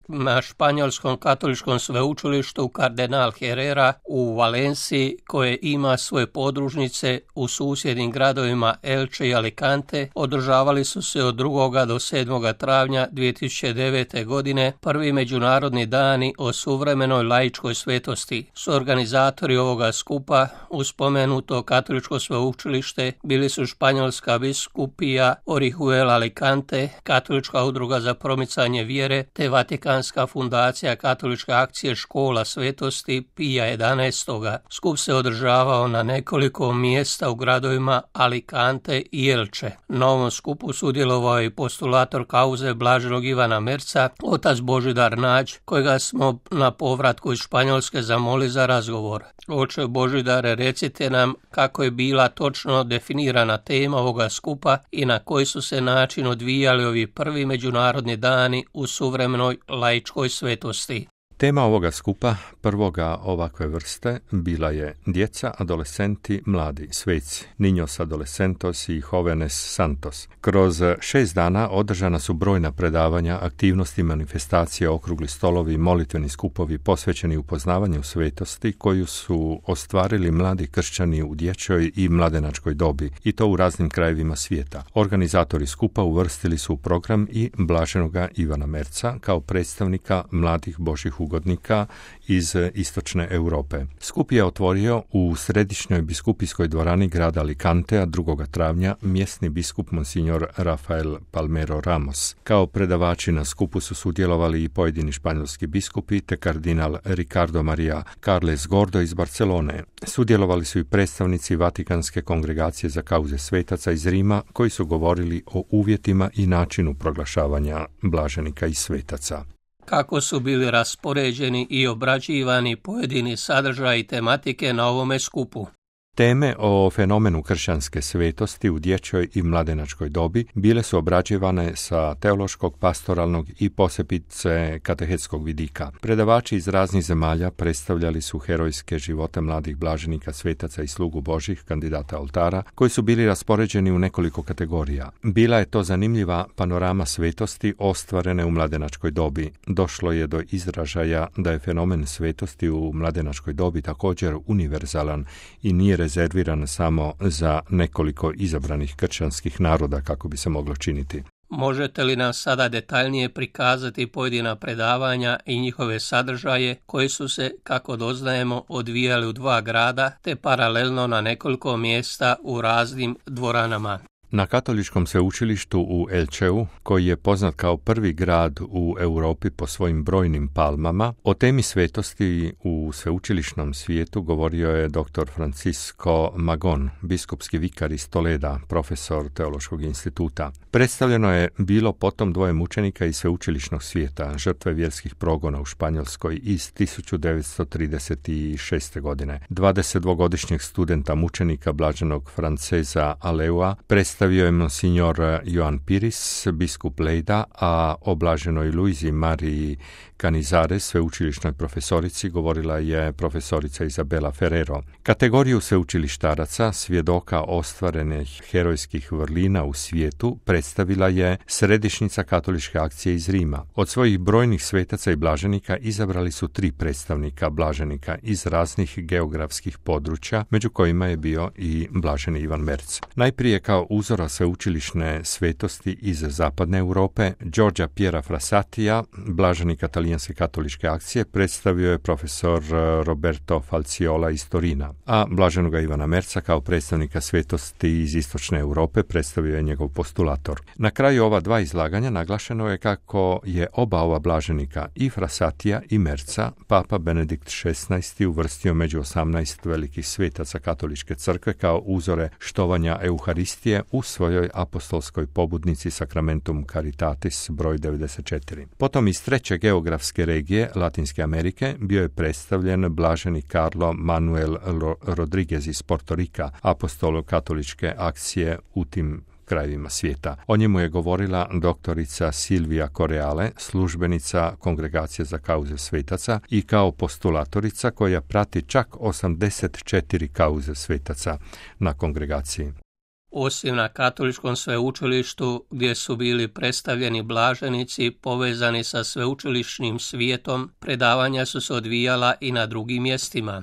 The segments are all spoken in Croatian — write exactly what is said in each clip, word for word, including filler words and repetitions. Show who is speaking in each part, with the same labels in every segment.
Speaker 1: na španjolskom katoličkom sveučilištu Kardinal Herrera u Valenciji, koje ima svoje podružnice u susjednim gradovima Elche i Alicante, održavali su se od drugoga do sedmoga travnja dvije tisuće devete. godine prvi međunarodni dani o suvremenoj laičkoj svetosti. Suorganizatori ovoga skupa uz spomenuto katoličko sveučilište bili su Španjolska biskupija Orihuela Alicante, Katolička udruga za promicanje vjere te Vatikanska fundacija Katoličke akcije Škola svetosti Pija jedanaest. Skup se održavao na nekoliko mjesta u gradovima Alicante i Elche. Na ovom skupu sudjelovao je postulator kauze blaženog Ivana Merca, otac Božidar Nađ, kojega smo na povratku iz Španjolske zamoli za razgovor. Oče Božidare, recite nam kako je bila točno definirana tema ovoga skupa i na koji su se način odvijali ovi prvi međunarodni dani u suvremenoj laičkoj svetosti.
Speaker 2: Tema ovoga skupa, prvoga ovakve vrste, bila je djeca, adolescenti, mladi, sveci, niños adolescentos i jóvenes santos. Kroz šest dana održana su brojna predavanja, aktivnosti, manifestacije, okrugli stolovi i molitveni skupovi posvećeni upoznavanju svetosti koju su ostvarili mladi kršćani u dječjoj i mladenačkoj dobi, i to u raznim krajevima svijeta. Organizatori skupa uvrstili su u program i blaženoga Ivana Merca kao predstavnika mladih božjih ugodnika iz istočne Europe. Skup je otvorio u središnjoj biskupijskoj dvorani grada Alicantea drugoga travnja mjesni biskup monsignor Rafael Palmero Ramos. Kao predavači na skupu su sudjelovali i pojedini španjolski biskupi te kardinal Ricardo Maria Carles Gordo iz Barcelone. Sudjelovali su i predstavnici Vatikanske kongregacije za kauze svetaca iz Rima, koji su govorili o uvjetima i načinu proglašavanja blaženika i svetaca.
Speaker 1: Kako su bili raspoređeni i obrađivani pojedini sadržaji i tematike na ovome skupu?
Speaker 2: Teme o fenomenu kršćanske svetosti u dječjoj i mladenačkoj dobi bile su obrađivane sa teološkog, pastoralnog i posebice katehetskog vidika. Predavači iz raznih zemalja predstavljali su herojske živote mladih blaženika, svetaca i slugu božih, kandidata oltara, koji su bili raspoređeni u nekoliko kategorija. Bila je to zanimljiva panorama svetosti ostvarene u mladenačkoj dobi. Došlo je do izražaja da je fenomen svetosti u mladenačkoj dobi također univerzalan i nije rezerviran samo za nekoliko izabranih kršćanskih naroda, kako bi se moglo činiti.
Speaker 1: Možete li nam sada detaljnije prikazati pojedina predavanja i njihove sadržaje koji su se, kako doznajemo, odvijali u dva grada te paralelno na nekoliko mjesta u raznim dvoranama?
Speaker 2: Na katoličkom sveučilištu u Elcheu, koji je poznat kao prvi grad u Europi po svojim brojnim palmama, o temi svetosti u sveučilišnom svijetu govorio je dr. Francisco Magon, biskupski vikar iz Toleda, profesor Teološkog instituta. Predstavljeno je bilo potom dvoje mučenika iz sveučilišnog svijeta, žrtve vjerskih progona u Španjolskoj iz tisuću devetsto trideset šeste. godine. dvadesetdvogodišnjeg studenta mučenika blaženog Franceza Aleua predstavio je monsignor Joan Piris, biskup Lejda, a o blaženoj Luizi Mariji Canizares, sveučilišnoj profesorici, govorila je profesorica Izabela Ferrero. Kategoriju sveučilištaraca, svjedoka ostvarenih herojskih vrlina u svijetu, predstavila je Središnjica katoličke akcije iz Rima. Od svojih brojnih svetaca i blaženika izabrali su tri predstavnika blaženika iz raznih geografskih područja, među kojima je bio i blaženi Ivan Merc. Najprije kao uzora sveučilišne svetosti iz zapadne Europe, Giorgia Piera Frassatija, blaženika Talijanske katoličke akcije, predstavio je profesor Roberto Falciola iz Torina, a blaženoga Ivana Merca kao predstavnika svetosti iz istočne Europe predstavio je njegov postulator. Na kraju ova dva izlaganja naglašeno je kako je oba ova blaženika, i Frassatija i Merca, Papa Benedikt šesnaesti uvrstio među osamnaest velikih svetaca katoličke crkve kao uzore štovanja Euharistije u svojoj apostolskoj pobudnici Sacramentum Caritatis broj devedeset četiri. Potom iz treće geografske regije Latinske Amerike bio je predstavljen blaženi Carlo Manuel Rodriguez iz Porto Rika, apostol katoličke akcije u tim krajevima svijeta. O njemu je govorila doktorica Silvia Coreale, službenica Kongregacije za kauze svetaca i kao postulatorica koja prati čak osamdeset četiri kauze svetaca na kongregaciji.
Speaker 1: Osim na katoličkom sveučilištu, gdje su bili predstavljeni blaženici povezani sa sveučilišnim svijetom, predavanja su se odvijala i na drugim mjestima.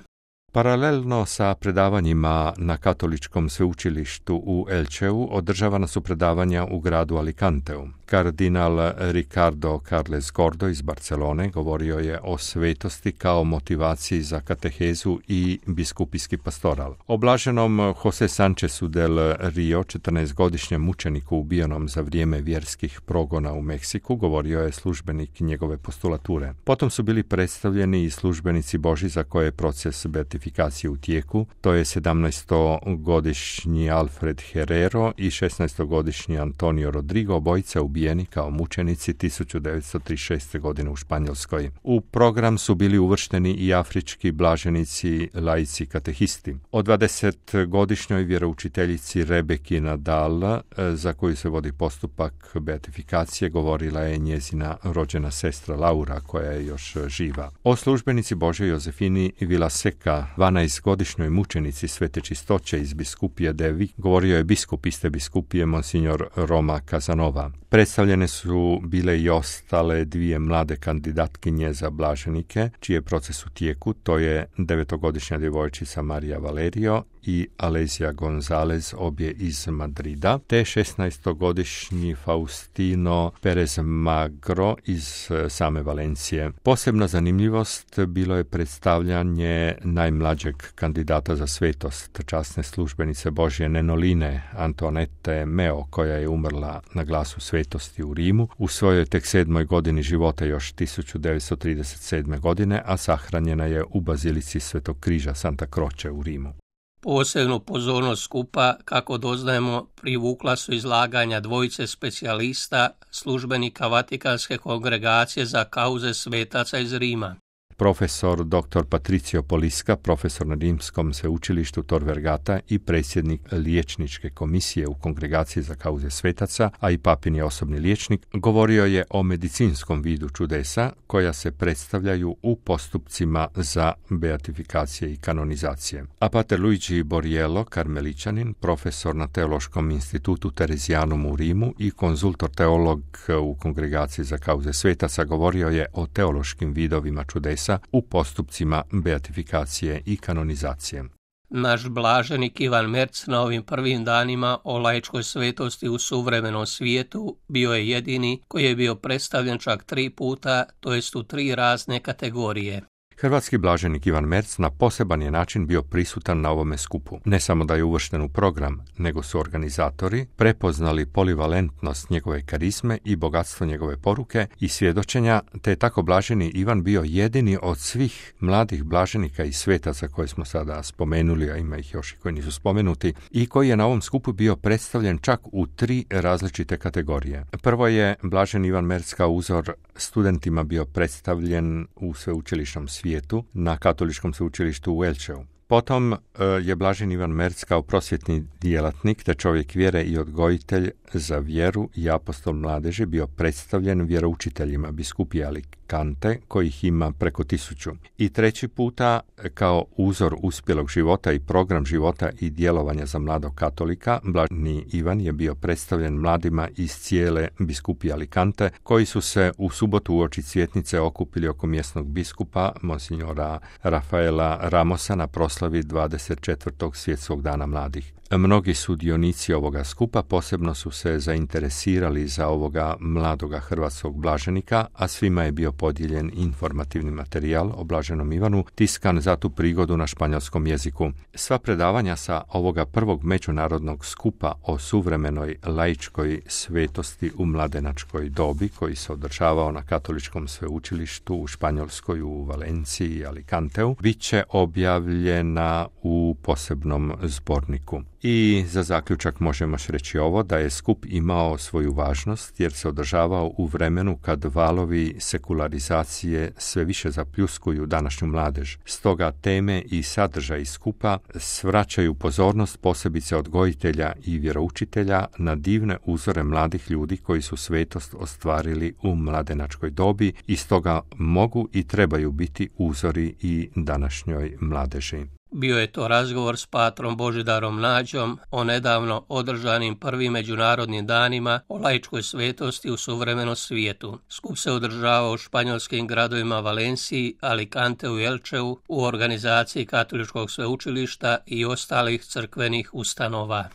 Speaker 2: Paralelno sa predavanjima na katoličkom sveučilištu u Elcheu održavana su predavanja u gradu Alicanteu. Kardinal Ricardo Carles Gordo iz Barcelone govorio je o svetosti kao motivaciji za katehezu i biskupijski pastoral. O blaženom Jose Sanchezu del Rio, četrnaestogodišnjem mučeniku ubijenom za vrijeme vjerskih progona u Meksiku, govorio je službenik njegove postulature. Potom su bili predstavljeni i službenici Božji za koje je proces beatifikacije u tijeku, to je sedamnaestogodišnji Alfred Herrero i šesnaestogodišnji Antonio Rodrigo, obojica ubijeni kao mučenici tisuću devetsto trideset šeste. godine u Španjolskoj. U program su bili uvršteni i afrički blaženici, laici, katehisti. O dvadesetogodišnjoj vjeroučiteljici Rebeki Nadal, za koju se vodi postupak beatifikacije, govorila je njezina rođena sestra Laura, koja je još živa. O službenici Božje Jozefini Villaseca, dvanaestogodišnjoj mučenici Svete Čistoće iz biskupije Devi, govorio je biskup iste biskupije Monsignor Roma Casanova. Predstavljene su bile i ostale dvije mlade kandidatkinje za blaženike, čiji je proces u tijeku, to je devetogodišnja djevojčica Marija Valerio i Alessia Gonzalez, obje iz Madrida, te šesnaestogodišnji Faustino Perez Magro iz same Valencije. Posebna zanimljivost bilo je predstavljanje najmlađeg kandidata za svetost, časne službenice Božje Nenoline Antoanete Meo, koja je umrla na glasu svetosti u Rimu u svojoj tek sedmoj godini života još tisuću devetsto trideset sedme. godine, a sahranjena je u bazilici Svetog križa Santa Croce u Rimu.
Speaker 1: Posebnu pozornost skupa, kako doznajemo, privukla su izlaganja dvojice specijalista, službenika Vatikanske kongregacije za kauze svetaca iz Rima.
Speaker 2: Profesor doktor Patricio Poliska, profesor na Rimskom sveučilištu Tor Vergata i predsjednik liječničke komisije u kongregaciji za kauze svetaca, a i papin je osobni liječnik, govorio je o medicinskom vidu čudesa koja se predstavljaju u postupcima za beatifikacije i kanonizacije. A pater Luigi Borriello, karmeličanin, profesor na Teološkom institutu Terezijanum u Rimu i konzultor teolog u kongregaciji za kauze svetaca, govorio je o teološkim vidovima čudesa u postupcima beatifikacije i kanonizacije.
Speaker 1: Naš blaženik Ivan Merc na ovim prvim danima o laičkoj svetosti u suvremenom svijetu bio je jedini koji je bio predstavljen čak tri puta, to jest u tri razne kategorije.
Speaker 2: Hrvatski blaženik Ivan Merc na poseban je način bio prisutan na ovome skupu. Ne samo da je uvršten u program, nego su organizatori prepoznali polivalentnost njegove karizme i bogatstvo njegove poruke i svjedočenja, te je tako blaženi Ivan bio jedini od svih mladih blaženika i svetaca koje smo sada spomenuli, a ima ih još i koji nisu spomenuti, i koji je na ovom skupu bio predstavljen čak u tri različite kategorije. Prvo je blaženi Ivan Merc kao uzor studentima bio predstavljen u sveučilišnom svijetu na katoličkom sveučilištu u Elcheu. Potom je blažen Ivan Merc kao prosvjetni djelatnik te čovjek vjere i odgojitelj za vjeru i apostol mladeži bio predstavljen vjeroučiteljima biskupije Alicante, kojih ima preko tisuću. I treći puta kao uzor uspjelog života i program života i djelovanja za mladog katolika, blaženi Ivan je bio predstavljen mladima iz cijele biskupije Alicante, koji su se u subotu uoči Cvjetnice okupili oko mjesnog biskupa, monsignora Rafaela Ramosa, na proslavi dvadeset četvrtog svjetskog dana mladih. Mnogi sudionici ovoga skupa posebno su se zainteresirali za ovoga mladoga hrvatskog blaženika, a svima je bio podijeljen informativni materijal o blaženom Ivanu, tiskan za tu prigodu na španjolskom jeziku. Sva predavanja sa ovoga prvog međunarodnog skupa o suvremenoj laičkoj svetosti u mladenačkoj dobi, koji se održavao na katoličkom sveučilištu u Španjolskoj, u Valenciji i Alicanteu, bit će objavljena u posebnom zborniku. I za zaključak možemo reći ovo, da je skup imao svoju važnost jer se održavao u vremenu kad valovi sekularizacije sve više zapljuskuju današnju mladež. Stoga teme i sadržaj skupa svraćaju pozornost posebice odgojitelja i vjeroučitelja na divne uzore mladih ljudi koji su svetost ostvarili u mladenačkoj dobi i stoga mogu i trebaju biti uzori i današnjoj mladeži.
Speaker 1: Bio je to razgovor s patrom Božidarom Nađom o nedavno održanim prvim međunarodnim danima o laičkoj svetosti u suvremenom svijetu. Skup se održava u španjolskim gradovima Valenciji, Alicanteu i Elčeu u organizaciji Katoličkog sveučilišta i ostalih crkvenih ustanova.